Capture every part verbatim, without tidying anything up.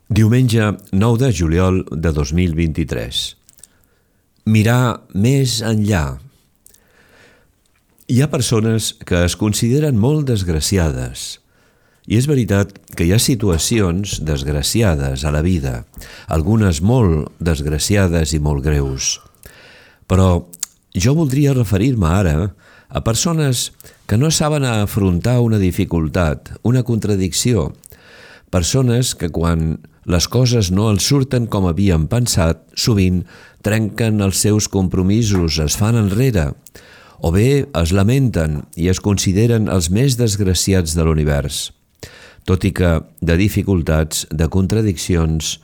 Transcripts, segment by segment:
Diumenge nou de juliol de dos mil vint-i-tres. Mirar més enllà. Hi ha persones que es consideren molt desgraciades, i és veritat que hi ha situacions desgraciades a la vida, algunes molt desgraciades i molt greus. Però jo voldria referir-me ara a persones que no saben afrontar una dificultat, una contradicció, persones que quan les coses no els surten com havien pensat, sovint trenquen els seus compromisos, es fan enrere, o bé es lamenten i es consideren els més desgraciats de l'univers, tot i que de dificultats, de contradiccions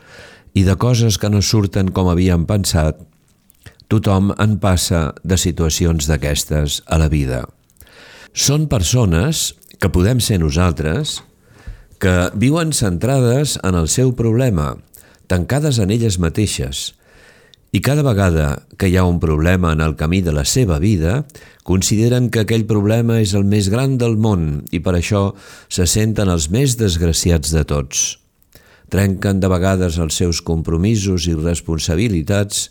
i de coses que no surten com havien pensat, tothom en passa de situacions d'aquestes a la vida. Són persones que podem ser nosaltres, que viuen centrades en el seu problema, tancades en elles mateixes, i cada vegada que hi ha un problema en el camí de la seva vida, consideren que aquell problema és el més gran del món i per això se senten els més desgraciats de tots. Trenquen de vegades els seus compromisos i responsabilitats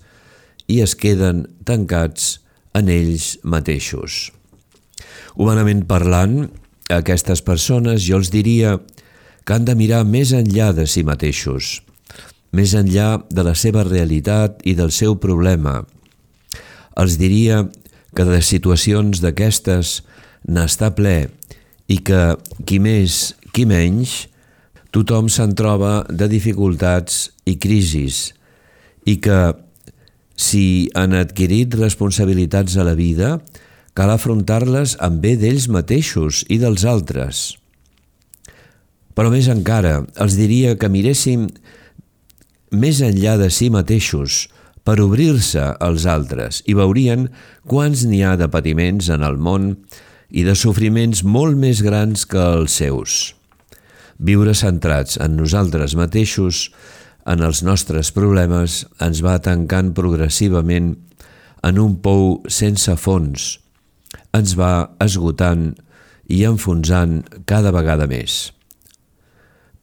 i es queden tancats en ells mateixos. Humanament parlant, a aquestes persones jo els diria que han de mirar més enllà de si mateixos, més enllà de la seva realitat i del seu problema. Els diria que de situacions d'aquestes n'està ple i que qui més, qui menys, tothom se'n troba de dificultats i crisis i que si han adquirit responsabilitats a la vida, cal afrontar-les amb bé d'ells mateixos i dels altres. Però més encara, els diria que miréssim més enllà de si mateixos per obrir-se als altres i veurien quants n'hi ha de patiments en el món i de sofriments molt més grans que els seus. Viure centrats en nosaltres mateixos, en els nostres problemes, ens va tancant progressivament en un pou sense fons, ens va esgotant i enfonsant cada vegada més.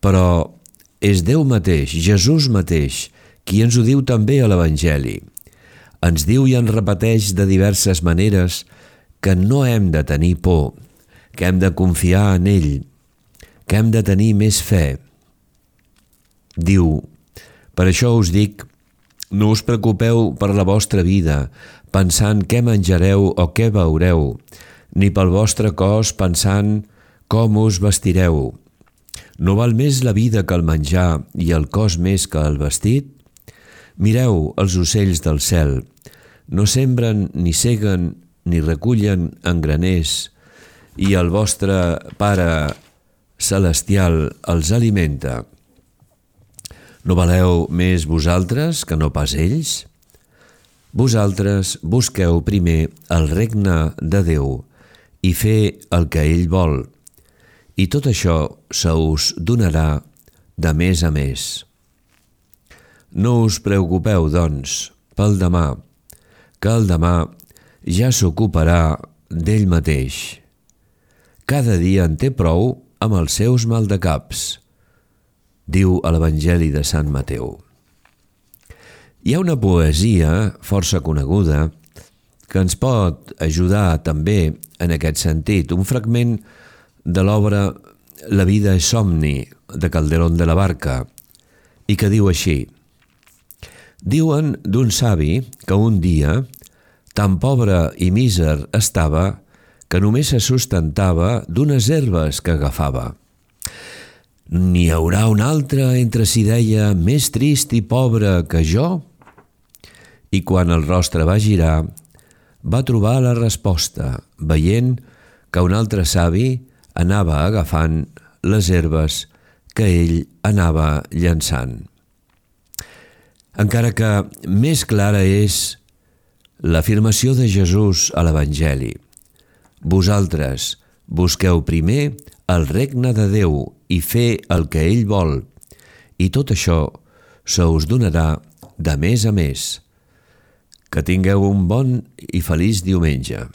Però és Déu mateix, Jesús mateix, qui ens ho diu també a l'Evangeli. Ens diu i ens repeteix de diverses maneres que no hem de tenir por, que hem de confiar en ell, que hem de tenir més fe. Diu, per això us dic, no us preocupeu per la vostra vida, pensant què menjareu o què beureu, ni pel vostre cos pensant com us vestireu. No val més la vida que el menjar i el cos més que el vestit? Mireu els ocells del cel, no sembren ni seguen ni recullen en graners, i el vostre Pare celestial els alimenta. No valeu més vosaltres que no pas ells? Vosaltres busqueu primer el regne de Déu i fer el que ell vol, i tot això se us donarà de més a més. No us preocupeu, doncs, pel demà, que el demà ja s'ocuparà d'ell mateix. Cada dia en té prou amb els seus maldecaps, diu a l'Evangeli de Sant Mateu. Hi ha una poesia força coneguda que ens pot ajudar també en aquest sentit, un fragment de l'obra La vida és somni, de Calderón de la Barca, i que diu així: diuen d'un savi que un dia tan pobre i míser estava que només se sustentava d'unes herbes que agafava. N'hi haurà un altre, entre si deia, més trist i pobre que jo? I quan el rostre va girar, va trobar la resposta, veient que un altre savi anava agafant les herbes que ell anava llançant. Encara que més clara és l'afirmació de Jesús a l'Evangeli. Vosaltres busqueu primer el regne de Déu i fer el que ell vol, i tot això se us donarà de més a més. Que tingueu un bon i feliç diumenge.